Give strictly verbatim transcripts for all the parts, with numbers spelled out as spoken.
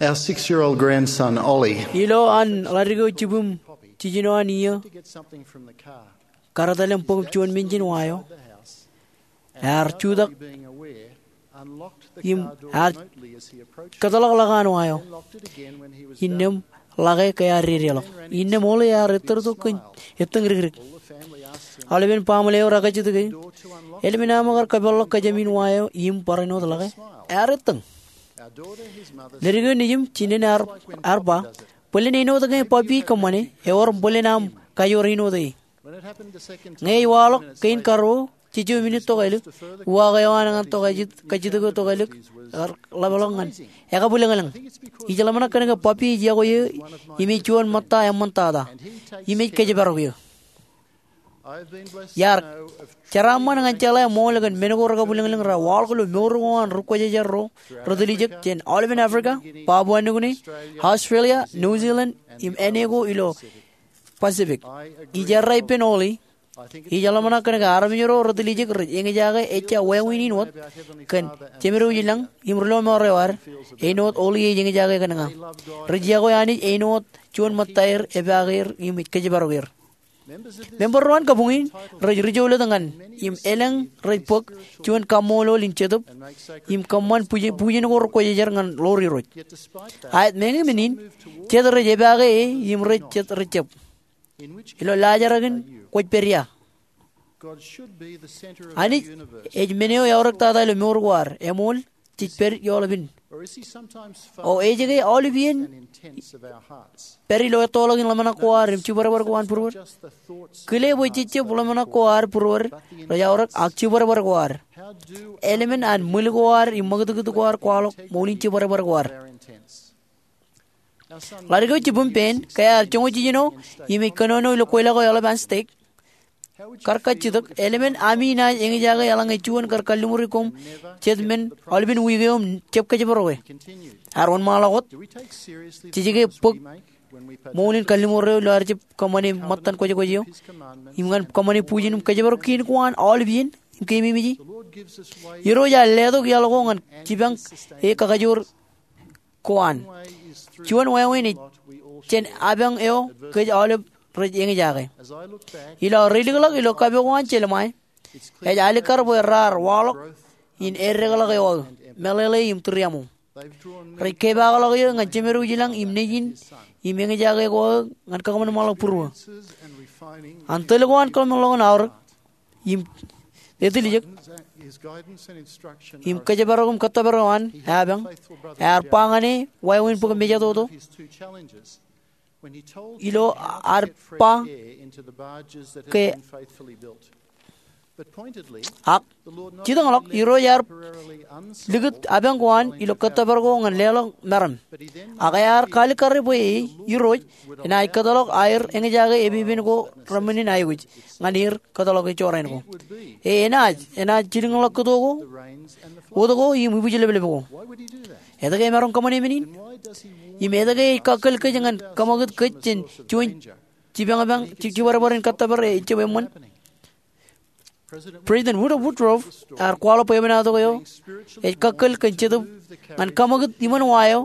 Our six-year-old grandson, Ollie, ilo an ḷadik eo jibwim jiljino an iiō, kar etal im bōk juon men jān wa eo, ear jutak im ear kōtḷọk ḷōk an wa eo. Innām ḷake ke ear dedeḷọk. Innām Ollie ear ettōr tok kōn ettōñ rikrik. Aolepen baaṃle eo rekajjitōk e, "Eḷmen aṃ kar kōpeḷḷọk kōjām in wa eo im barāinwōt ḷake?" Ear ettōñ. Ledik eo nejim, jinen ear, ear ba, "Bōlen āinwōt ke Papi kōṃṃane, ewōr bōlen aṃ kajoor āinwōt e." Ñe ej waḷọk kein karuo, jejjo minit tokālik, uwaak eo an ñan tokajjitōk eo tokālik ear ḷapḷọk ñan ekabwilōñlōñ. Ij ḷōmṇak kōn ke Papi ej yokwe eō im ej juon ṃōtta eṃṃantata im ej kōjparok eō. Iar jeraaṃṃan ñan jeḷā ṃool kōn men ko rekabwilōñlōñ raar waḷọk ilo mour ko an ri-kwōjarjar ro retiljek jān aolepen Africa, Papua New Guinea, Australia, New Zealand, im āne ko ilo Pacific. Ij errā ippān Ollie. Ij ḷōmṇak kōn ke armej ro retiljek rej eñjake ejja wāween in wōt kōn Jemed eo ilañ im ri-lọmọọr eo ad, āinwōt Ollie ej eñjake kōn ña. Rej yokwe Anij āinwōt juon ṃōtta er, epaake er im ej kōjparok er. Member ro an kabuñ in rej ri-jolōt ñan im elōñ rej bōk juon kaṃṃoolol in jetōb im kōṃṃan bujen, bujen ko ri-kwōjarjar ñan ḷoor Irooj. Aet, meñe men in, jet rej epaake e im rej jet rej jab. Ilo laajrak in kwōj pād ia? Anij ej men eo eaorōk tata ilo mour ko ad, eṃool, jej pād ioḷapān? O ej ke aolep iien pād ilo ettoḷọk in ḷōmṇak ko ad im jibadbad ko an būruod? Kile bwe jejjab ḷōmṇak ko ad būruod rej aorōk, ak jibadbad ko ad. Eḷmen an ṃwil ko ad im ṃakūtkūt ko ad kwaḷọk ṃool in jibadbad ko ad. Ḷadik eo jibwim, Ben, ke ear joñoul jiljino im ej kōnono ilo kweilọk eo eḷap an stek, kar kajjitōk, "Eḷmen ami naaj eñjake eḷaññe juon kar kalliṃuri koṃ jet men aolepen wiik eo im jab kōjparoke?" Ear wōnṃaanḷọk wōt, "Jej ke bōk ṃool in kalliṃur eo ilo ad jab kōṃṃane ṃōttan kwōjkwōj eo im ñan kōṃṃane bujen im kōjparok kein ko an aolep iien im keememej e?" Irooj ear letok iaḷ ko ñan jipañ e kakajoor ko an. Juon wāween ej jān apañ eo kōj aolep rej eñjake. Ilo aō reilikḷọk ilo kape ko an Jeremaia, ej alikkar bwe raar waḷọk in eddekḷọk eo aō, meḷeḷe im tūriaṃo. Rej kepaakḷọk eō ñan Jemed eo ilañ im Nejin im eñjake ko aō ñan kakōṃanṃanḷọk būruō. An tōl ko an kōḷmānḷọkjeṇ aorōk im etiljek im kōjparok im kōttōpar eo an apañ, ear ba ñan e wāween bōk mejatoto ilo ad ba ke, ak jitōñḷọk, Irooj ear likūt apañ ko an ilo kōttōpar ko ñan leḷọk meram. Ak ear kaalikkare bwe e, Irooj, enaaj kōtḷọk aer eñjake epepen ko reṃṃan in aikuj ñan er kōtḷọk e jorrāān ko. E enaaj, enaaj jilkinḷọk kōto ko, wōt ko im ibwijlepjlep ko. Etke emaroñ kōṃṃane men in? Im etke ej kakkōl kōj ñan kōṃakūt kōj jān juon jipañpañ, ji-, jibadbad in kōttōpar ejjab eṃṃan? President Woodrow Wilson ear kwaḷọk bwebwenato eo ej kakkōl kōn Jetōb ñan kōṃakūt iṃōn wa eo,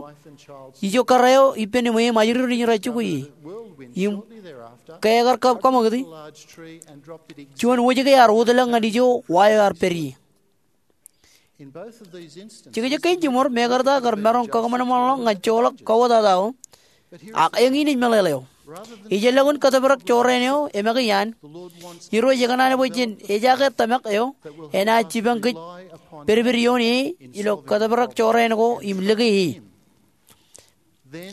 ijo kōrā eo ippān eṃ ajri ro nejin rej jokwe e. Im ke ekar kō-, kōṃakūti, juon wōjke ear wōtlọk ñan ijo wa eo ear pād ie. Jekjek kein jiṃor, mekarta kar maroñ kakōṃanṃanḷọk ñan joḷọk kawōtata eo, ak eñin ej meḷeḷe eo. Ijellọkin kōtōprak jorrāān eo, eṃake iaan, Irooj ekōṇaan bwe jān ejaake tōmak eo enaaj jipañ kōj pedped ioon e ilo kōtōprak jorrāān ko im lōke e.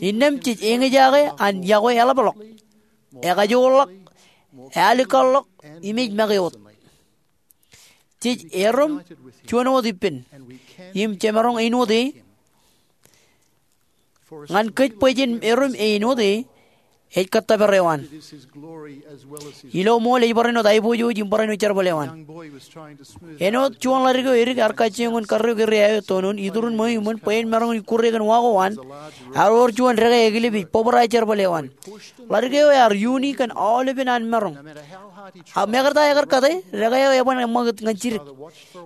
Innām jej eñjake an yokwe eḷapḷọk, ekajoorḷọk, ealikkar ḷọk, im ej make wōt. Jej erom juon wōt ippān, im jemaroñ āinwōt e. Ñan kōj bwe jen erom āinwōt e, ej kōttōpar eo an. Ilo ṃool ej barāinwōt aiboojoj im barāinwōt jerbal eo an. Āinwōt juon ḷadik eo edik ear kajjioñ in karreoik area eo etoon, iturin ṃweo iṃōn bwe en maroñ in ikkure kōn wa ko an, ear wōr juon dekā ekilep ej bōbrae jerbal eo an. Ḷadik eo ear iuuni kōn aolepen an maroñ. Ak mekarta ekar kate, dekā eo eban eṃṃakūt ñan jidik.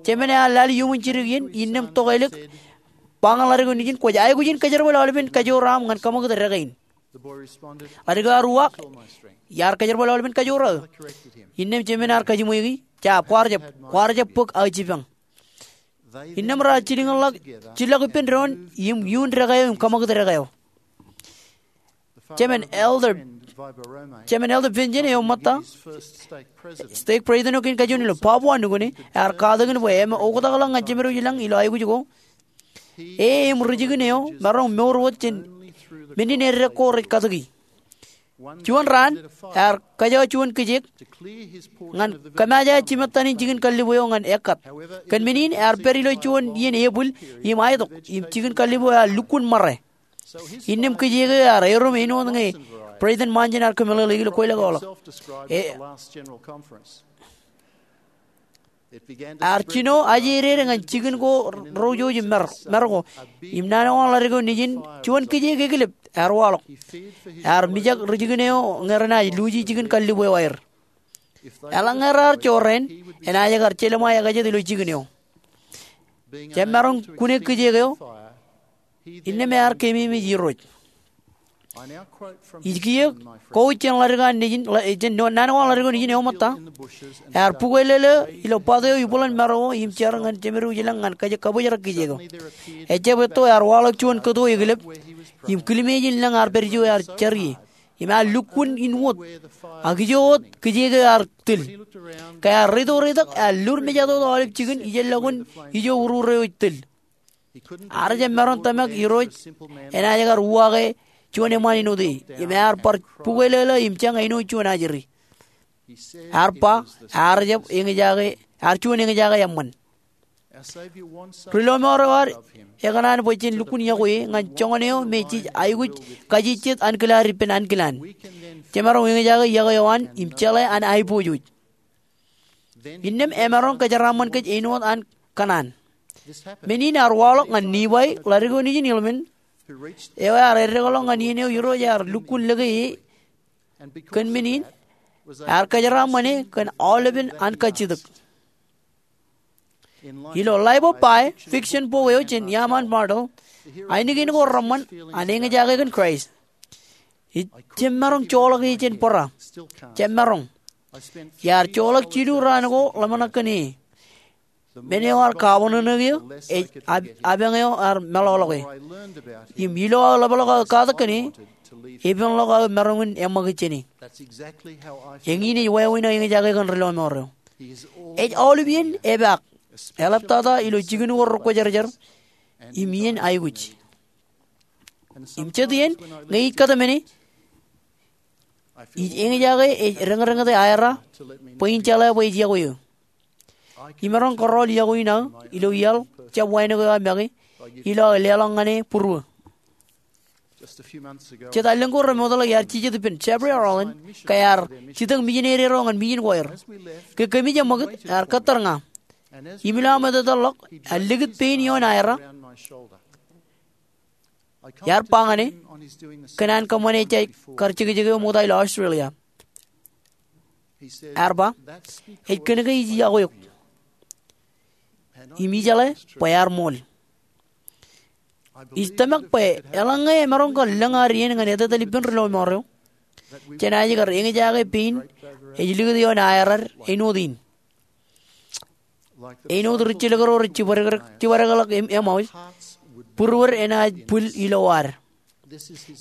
Jemān ear lale iuṃwin jidik iien, innām tokālik ba ñan ḷadik eo nejin, kwōj aikuj in kōjerbal aolepen kajoor aṃ ñan kaṃakūt dekā in. Ḷadik eo ear uwaak, iar kōjerbal aolepen kajoor aō. Innām jemān ear kajiṃweiki, jab, kwaar jab, kwaar jab bōk aō jipañ. Innām raar jilkinḷọk, jillọk ippān doon im iuun dekā eo im kaṃakūt dekā eo. Jemān Elder, Jemān Elder Benjen eo ṃōtta, stake president eo kein kajuon ilo Papua New Guinea, ear katakin bwe eṃōj oktakḷọk ñan jemedwōj ilañ ilo aikuj ko. E im ri jikin eo maroñ mour wōt jān men in eddek ko rej katōki. Juon raan, ear kōjro juon kijeek ñan kōmāje jimettan in jikin kallib eo ñan ekkat. Kōn men in, ear pād ilo juon iien epwil im aetok, im jikin kallib eo ear lukkuun ṃare. Innām kijeek eo ear erom āinwōt ñe President Manjen ear kōmeḷeḷeiki ilo kweilọk eo ḷọk. E, ear jino ajeeded ñan jikin ko ro jouj im mar, mar ko. Im naan eo an ḷadik eo nejin, juon kijeek ekilep ear waḷọk. Ear mijak ri jikin eo ñe renaaj luuji jikin kallib eo aer. Eḷaññe raar jorrāān, enaaj kar jelṃae ekajet ilo jikin eo. Jab maroñ kune kijeek eo, innām ear keememej Irooj. Ij kiiō kowōj jān ḷadik an nejin, ḷa-, jān naan ko an ḷadik eo nejin eo ṃōtta. Ear bukweilōḷō ilo bat eo ibwiḷan maro im jar ñan jemedwōj ilañ ñan kōj kabōjrak kijeek eo. Ejjab etto, ear waḷọk juon kōto ekilep im kilmeej in lañ ear pād ijo ear jar ie. Im ear lukkuun in wōt. Ak ijo wōt kijeek eo ear til. Ke ear reitok reitok, ear lur mejatoto aolep jikin ijellọkun ijo urur eo ej til. Ear jab maroñ tōmak Irooj enaaj kar uwaake juon eṃṃaan āinwōt e. Im ear bar bukweilōḷō im jañ āinwōt juon ajri. Ear ba, ear jab eñjake, ear juon eñjake eṃṃan. Ri lọmọọr eo ad ekōṇaan bwe jen lukkuun iọkwe ñan joñan eo me jej aikuj kajejjet ankilaad ippān ankilaan. Jemaroñ eñjake iọkwe eo an im jeḷā an aiboojoj. Innām emaroñ kōjeraaṃṃan kōj āinwōt an kōṇaan. Men in ear waḷọk ñan Nifai, ḷadik eo nejin Hilman, eo ear eddekḷọk ñan iien eo Irooj ear lukkuun lōke e. Kōn men in, ear kōjeraaṃṃan e kōn aolepen an kajjitōk. Ilo Life of Pi, fiction bok eo jān Iaan Martell, ainikien ko reṃṃan an eñjake kōn Kraist. Ij jab maroñ joḷọk e jān bōra. Jab maroñ. Iar joḷọk jilu raan ko ḷōmṇak kōn e. Men eo ear kabōnōnōk eō, ej ab-, apañ eo ear meḷọkḷọk e. Im ilo aō ḷapḷọk aō katak kōn e, epenḷọk aō maroñ in eṃṃakūt jān e. Eñin ej wāween aō eñjake kōn ri lọmọọr eo. Ej aolep iien epaak, eḷaptata ilo jikin ko rekwōjarjar, im iien aikuj. Im jet iien, ñe ij kōtmāne, ij eñjake ej reñreñete aera bwe in jeḷā bwe ej iọkwe eō. Imaroñ kōrọọl iọkwe in aō ilo iaḷ jab wānōk eo aō make, ilo aō leḷọk ñan e būruō. Jet allōñ ko remootḷọk iar jijet ippān Jeffrey R. Holland, ke ear jitōñ mijinede ro ñan mijin ko aer. Ke kōmij eṃṃakūt, ear kōttar ña. Im ilo aṃ etetal ḷọk, ear likūt pein ioon aera. Iar ba ñan e kōn an kōṃṃane ejja kar jekjek eo ṃokta ilo Australia. Ear ba, ej kōn ke ij iọkwe eok. Im ijeḷā bwe ear ṃool. Ij tōmak bwe eḷaññe emaroñ kar lōñ ad iien ñan etetal ippān ri lọmọọr eo, jenaaj kar eñjake pein ej likūt ioon aerad āinwōt in. Āinwōt ri jilkinḷọk ro rej jibadekḷọk, jibadekḷọk Em-, Emmaus, būruod enaaj bwil ilo ad.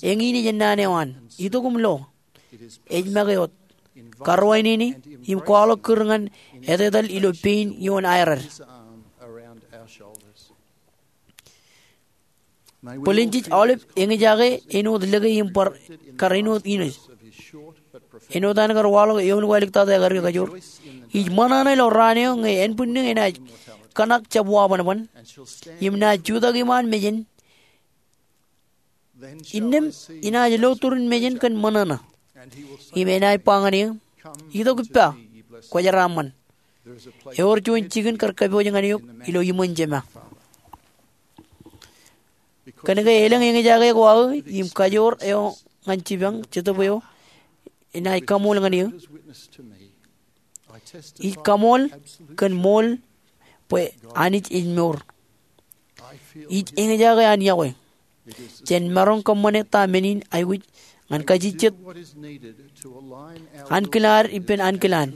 Eñin ej ennaan eo an, itok im lo. Ej make wōt. Karuwainene, im kwaḷọk kūr ñan etetal ilo pein ioon aerad. Bōlen jej aolep eñjake āinwōt lōke im bar kar āinwōt Inōs. Āinwōt an kar waḷọk eoon ko āliktata ekadik ekajoor. Ij ṃōṇōṇō ilo raan eo ñe ānbwinnū enaaj kōṇak jab wabanban. Im naaj jutak iṃaan mejān. Innām inaaj lo turin mejān kōn ṃōṇōṇō. Im enaaj ba ñan eō, itok ippa, kwōjeraaṃṃan. Ewōr juon jikin kar kōpooj ñan eok ilo iṃōn Jema. Kōn ke elōñ eñjake ko aō im kajoor eo ñan jipañ Jetōb eo, enaaj kaṃool ñan eō. Ij kaṃool kōn ṃool bwe Anij ej mour. Ij eñjake an yokwe. Jen maroñ kōṃṃane ta men in aikuj ñan kajejjet ankilaad ippān ankilaan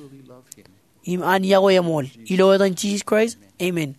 im an yokwe eṃool. Ilo etan Jisōs Kraist, amen.